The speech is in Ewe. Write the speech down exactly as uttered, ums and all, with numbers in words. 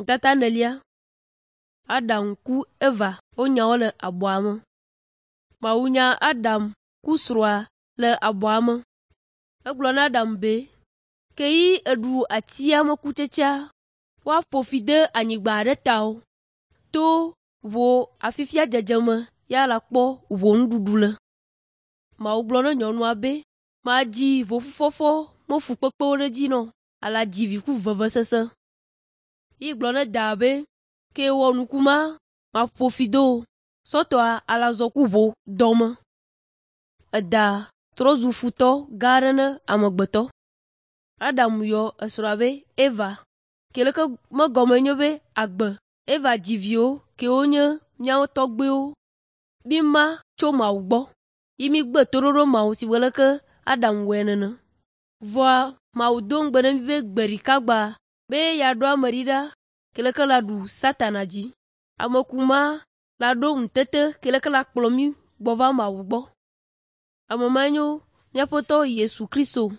Nutata enelia. Adam ku Eva wonya wo le abɔa me. Mawu nya Adam ku srɔ̃a le abɔa me. Egblɔ na Adam be, “Ke yi èɖu atia me kutsetsea, woaƒo fi de anyigba ɖe tawò. To wò afifia dzedzeme ya la kpɔ wò nuɖuɖu le.” Mawu gblɔ na nyɔnua be, “Madzi wò fufɔfɔ me fukpekpewo ɖe edzi na wò, ale adzi vi ku vevesese.” Yi gblɔ na daa be, “Ke wɔ nuku ma, maƒo fi de wò, sɔtɔa ale azɔ ku wò dɔme.” Eda trɔ zu futɔ gã aɖe na amegbetɔ. Adam yɔ esrɔ̃a be Eva ke leke me gɔme nye be agbe. Eva dzi viwo kewo nye míawo tɔgbuiwo. Míma tso Mawu gbɔ yi mígbe toɖoɖo Mawu si be leke Adam wɔe nene. Vɔa Mawu do ŋugbe na mí be gbe ɖeka gbea be yeaɖo ame ɖi ɖa ke leke la ɖu Satana dzi. Ame ku ma la ɖo ŋutete ke leke la kplɔ mí gbɔ va Mawu gbɔ. Ame mae nye míaƒe Aƒetɔ Yesu Kristo.